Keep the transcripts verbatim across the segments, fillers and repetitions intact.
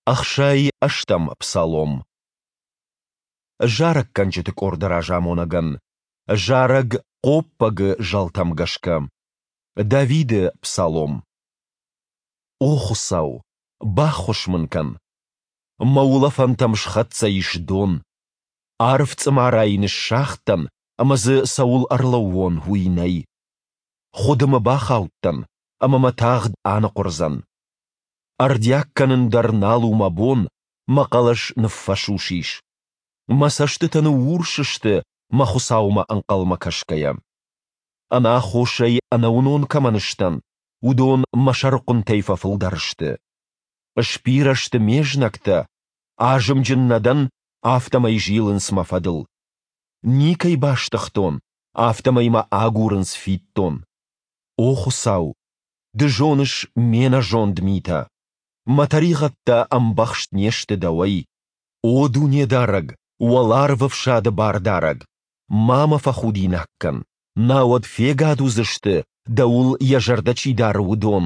Ӕхсай ӕстӕм псалом. Зарӕггӕнджыты къорды разамонӕгӕн. Зарӕг хъоппӕгы зӕлтӕм гӕсгӕ. Давиды псалом. О Хуыцау, баххуыс мын кӕн! Мӕ улӕфӕнтӕм схӕццӕ ис дон. Арф цъымарайы ныссагъдтӕн, ӕмӕ дзы цӕуыл ӕрлӕууон, уый нӕй. Хуыдымы бахаудтӕн, ӕмӕ мӕ тагъд аныхъуырдзӕн. Ӕрдиаг кӕнын дӕр нал у мӕ бон, мӕ хъӕлӕс ныффӕсус ис. Мӕ цӕстытӕ ныуурс сты мӕ Хуыцаумӕ ӕнхъӕлмӕ кӕсгӕйӕ. Ӕнаххосӕй ӕнӕуынон кӕмӕн сдӕн, уыдон мӕ сӕрыхъуынтӕй фӕфылдӕр сты. Сбирӕ сты ме знӕгтӕ, азымджын нӕ дӕн, афтӕмӕй зилынц мӕ фӕдыл. Никӕй бастыгътон, афтӕмӕй мӕ агурынц фиддон. О Хуыцау, Ды зоныс ме нӕзонд митӕ. Мӕ тӕригъӕдтӕ ӕмбӕхст не сты Дӕуӕй. О Дунедарӕг, Уӕларвӕфсады Бардарӕг, ма мӕ фӕхудинаг кӕн, науӕд фегад уыдзысты, Дӕуыл йӕ зӕрдӕ чи дары, уыдон,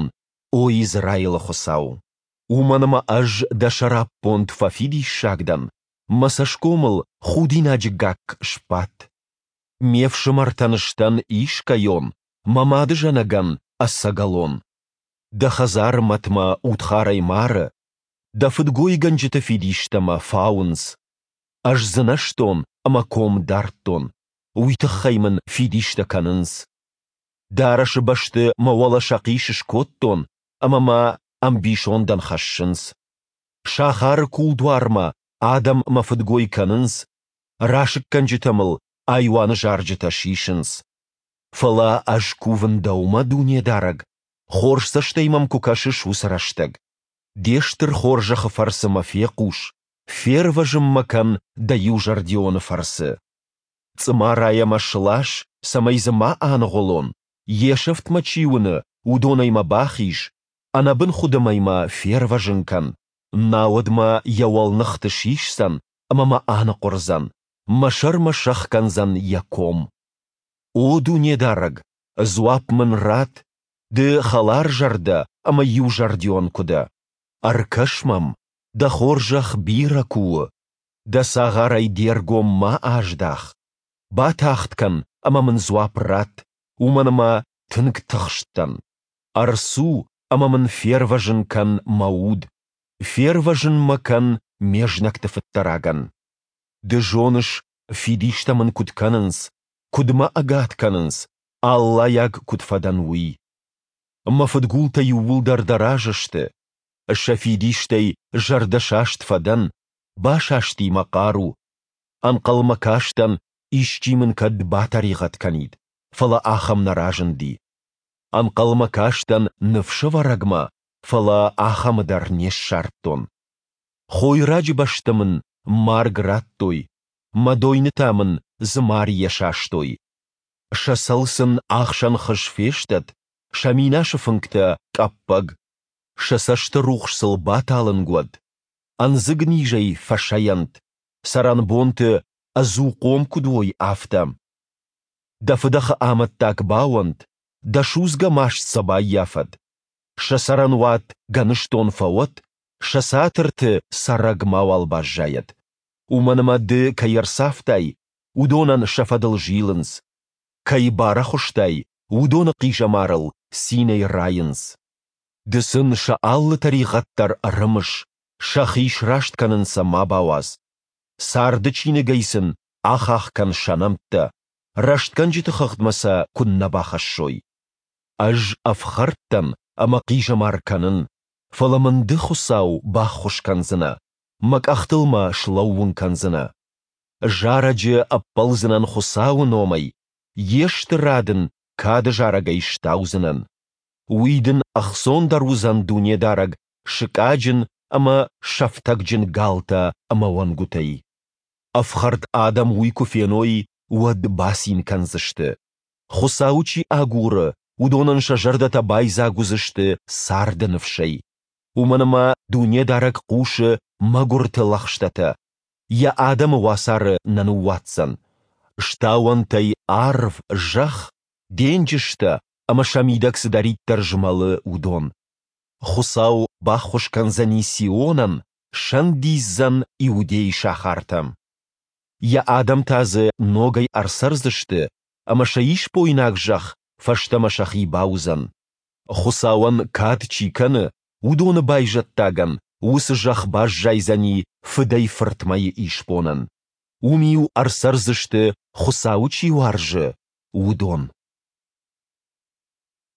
о Израилы Хуыцау. Уымӕн ӕмӕ ӕз Дӕ сӕраппонд фӕфидиссаг дӕн, мӕ цӕсгомыл худинаджы гакк сбадт. Ме фсымӕртӕн сдӕн искӕйон, мӕ мадызӕнӕгӕн ӕцӕгӕлон. Дӕ хӕдзары мӕт мӕ удхарӕй мары, Дӕ фыдгойгӕнджыты фидистӕ мӕ фауынц. Ӕз дзынӕзтон ӕмӕ ком дардтон, уый тыххӕй мын фидистӕ кӕнынц. Дарӕсы бӕсты мӕ уӕлӕ сӕхъис скодтон, ӕмӕ мӕ ӕмбисондӕн хӕссынц. Сахары кулдуармӕ адӕм мӕ фыдгой кӕнынц, расыггӕнджытӕ мыл айуаны зарджытӕ сисынц. Фӕлӕ ӕз кувын Дӕумӕ, Дунедарӕг, хорз цӕстӕй мӕм куы кӕсыс уыцы рӕстӕг. Де стыр хорзӕхы фӕрцы мӕ фехъус, фервӕзын мӕ кӕн Дӕ иузӕрдионы фӕрцы. Цъымарайӕ мӕ слас, цӕмӕй дзы ма аныгъуылон, йе сӕфт мӕ чи уыны, уыдонӕй мӕ бахиз, ӕнӕбын хуыдымӕй мӕ фервӕзын кӕн, науӕд мӕ йӕ уӕлныхты сисдзӕн ӕмӕ мӕ аныхъуырдзӕн, мӕ сӕрмӕ сӕхгӕндзӕн йӕ ком. О Дунедарӕг, дзуапп мын ратт, Ды хӕларзӕрдӕ ӕмӕ иузӕрдион куы дӕ. Ӕркӕс мӕм, Дӕ хорзӕх бирӕ куы у. Дӕ цагъарӕй Де ргом ма аздах. Батагъд кӕн ӕмӕ мын дзуапп ратт, уымӕн ӕмӕ тынг тыхст дӕн. Ӕрцу ӕмӕ мын фервӕзын кӕн мӕ уд, фервӕзын мӕ кӕн ме знӕгты фыддӕрагӕн. Ды зоныс, фидистӕ мын куыд кӕнынц, куыд мӕ ӕгад кӕнынц, аллайаг куыд фӕдӕн, уый. Мӕ фыдгултӕ иууылдӕр дӕ разы сты. Сӕ фидистӕй зӕрдӕсаст фӕдӕн, басасти мӕ хъару. Ӕнхъӕлмӕ кастӕн, исчи мын кӕд батӕригъӕд кӕнид, фӕлӕ ахӕм нӕ разынди. Ӕнхъӕлмӕ кастӕн ныфсӕвӕрӕгмӕ, фӕлӕ ахӕмы дӕр не ссардтон. Хойраджы бӕсты мын марг радтой, мӕ дойны та мын дзымарийӕ састой. Сӕ цӕл сын ахсӕн хыз фестӕд, сӕ минасы фынгтӕ къӕппӕг. Сӕ цӕсты рухс сыл баталынг уӕд, ӕндзыг низӕй фӕсӕйӕнт, цӕрӕнбонты ӕдзухъом куыд уой, афтӕ. Дӕ фыдӕхы амӕттаг бауӕнт, дӕ судзгӕ маст сӕ баййафӕд. Сӕ цӕрӕнуат гӕныстон фӕуӕд, сӕ цатырты цӕрӕг мауал баззайӕд. Уымӕн ӕмӕ ды кӕй ӕрцавтай, уыдонӕн сӕ фӕдыл зилынц. Кӕй барӕхуыстай, уыдоны хъизӕмарыл цинӕй райынц. Ды сын сӕ алы тӕригъӕд дӕр ӕрымыс, сӕхи сраст кӕнын сӕ ма бауадз. Царды чиныгӕй сын ахахх кӕн сӕ нӕмттӕ, рӕстгӕнджыты хыгъдмӕ сӕ куыннӕ бахӕссой. Ӕз ӕфхӕрд дӕн ӕмӕ хъизӕмар кӕнын, фӕлӕ мын Ды, Хуыцау, баххуыс кӕндзынӕ, мӕ къӕхтыл мӕ слӕууын кӕндзынӕ. Зарӕджы ӕппӕлдзынӕн Хуыцауы номӕй, Йе стырад ын кады зарӕгӕй стаудзынӕн. Уый дын ӕхцондӕр уыдзӕн Дунедарӕг сыкъаджын ӕмӕ сӕфтӕгджын галтӕ ӕмӕ уӕнгуытӕй. Ӕфхӕрд адӕм уый куы феной, уӕд бацин кӕндзысты. Хуыцауы чи агуры, уыдонӕн сӕ зӕрдӕтӕ байдзаг уыдзысты царды ныфсӕй. Уымӕн ӕмӕ Дунедарӕг хъусы мӕгуырты лӕгъстӕтӕ, Йӕ адӕмы уацары нӕ ныууадздзӕн. Стауӕнт ӕй арв, зӕхх, денджызтӕ ӕмӕ сӕ мидӕг цыдӕриддӕр змӕлы, уыдон. Хуыцау баххуыс кӕндзӕни Сионӕн, сӕндидздзӕн Иудӕйы сахартӕ. Йӕ адӕм та дзы ногӕй ӕрцӕрдзысты, ӕмӕ сӕ исбойнаг зӕхх фӕстӕмӕ сӕхи бауыдзӕн. Хуыцауӕн кад чи кӕны, уыдоны байзӕддагӕн уыцы зӕхх баззайдзӕни фыдӕй-фыртмӕйы исбонӕн. Уым-иу ӕрцӕрдзысты, Хуыцауы чи уарзы, уыдон.